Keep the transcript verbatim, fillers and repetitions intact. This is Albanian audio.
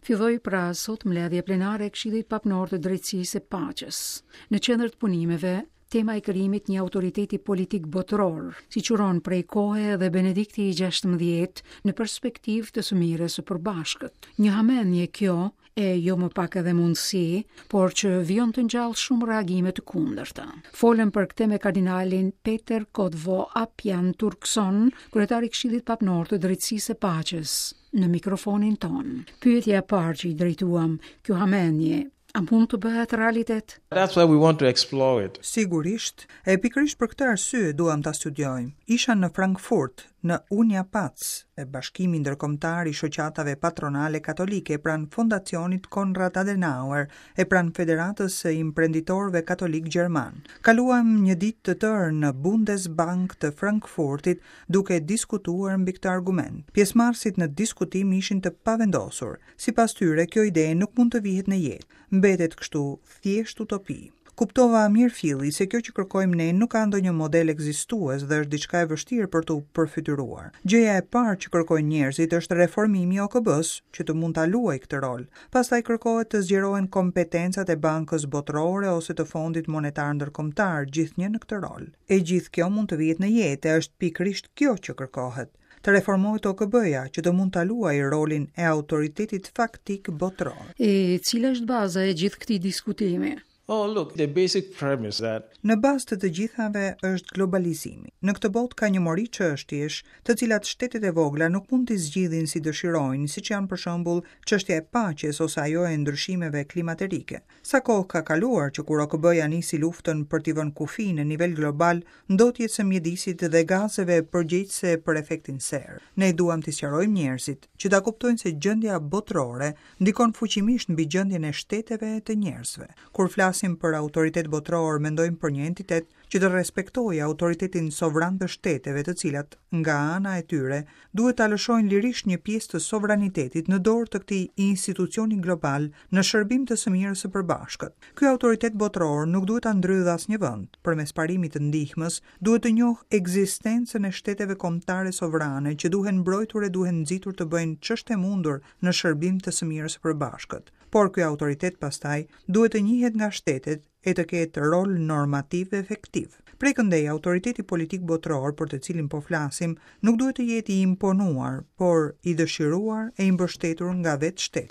Filloi pra sot mbledhja plenare e Këshillit Papnor të Drejtësisë e Paqes. Në qendër të punimeve, tema e krijimit një autoriteti politik botëror, siç uron prej kohe edhe Benedikti i gjashtëmbëdhjetë në perspektivë të së mirës së përbashkët. Një hamendje kjo, e jo më pak edhe mundësi, por që vijon të ngjallë shumë reagime të kundërta. Folëm për këtë me kardinalin Peter Kodwo Appiah Turkson, kryetar i Këshillit Papnor të Drejtësisë e Paqes, në mikrofonin ton. Pyetja e parë që i drejtuam, kjo hamendje, a mund të bëhet realitet? That's why we want to explore it. Sigurisht, e pikërisht për këtë arsye duam ta studiojmë. Isha në Frankfurt, në Uniapac, e Bashkimi Ndërkombëtar i Shoqatave Patronale Katolike pranë Fondacionit Konrad Adenauer e pranë Federatës së Imprenditorëve Katolik Gjerman. Kaluam një ditë të tërë në Bundesbank të Frankfurtit duke diskutuar mbi këtë argument. Pjesëmarrësit në diskutim ishin të pavendosur. Sipas tyre, kjo ide nuk mund të vihet në jetë. Mbetet kështu thjesht utopi. Kuptova mirëfilli se kjo që kërkojmë ne nuk ka ndonjë model ekzistues dhe është diçka e vështirë për t'u përfytyruar. Gjëja e parë që kërkojnë njerëzit është reformimi i O K B-s, që të mund ta luajë këtë rol. Pastaj kërkohet të zgjerohen kompetencat e Bankës Botërore ose të Fondit Monetar Ndërkombëtar, gjithnjë në këtë rol. E gjithë kjo mund të vihet në jetë, e është pikërisht kjo që kërkohet. Të reformohet O K B-ja, që të mund ta luajë rolin e autoritetit faktik botëror. E cila është baza e gjithë këtij diskutimi? Oh, look, the basic premise that Në bazë të të gjithave është globalizimi. Në këtë botë ka një mori çështjesh, të cilat shtetet e vogla nuk mund t'i zgjidhin si dëshirojnë, siç janë për shembull çështja e paqes ose ajo e ndryshimeve klimaterike. Sa kohë ka kaluar që kur O K B-ja nisi luftën për t'i vënë kufi në nivel global ndotjes së mjedisit dhe gazeve përgjegjëse për efektin serë. Ne duam t'i sqarojmë njerëzit që ta kuptojnë se gjendja botërore ndikon fuqimisht mbi gjendjen e shteteve të njerëzve. Kur flasim për autoritet botëror, mendojmë për një entitet që të respektojë autoritetin sovran të shteteve, të cilat nga ana e tyre duhet ta lëshojnë lirisht një pjesë të sovranitetit në dorë të këtij institucioni global në shërbim të së mirës së përbashkët. Ky autoritet botëror nuk duhet ta ndrydhë asnjë vend. Përmes parimit të ndihmës, duhet të njohë ekzistencën e shteteve kombëtare sovrane që duhen mbrojtur e duhen nxitur të bëjnë ç'është e mundur në shërbim të së mirës së përbashkët. Por ky autoritet pastaj duhet të njihet nga shtetet e të ketë rol normativ efektiv. Prej këndej, autoriteti politik botëror për të cilin po flasim nuk duhet të jetë i imponuar, por i dëshiruar e i mbështetur nga vetë shtetet.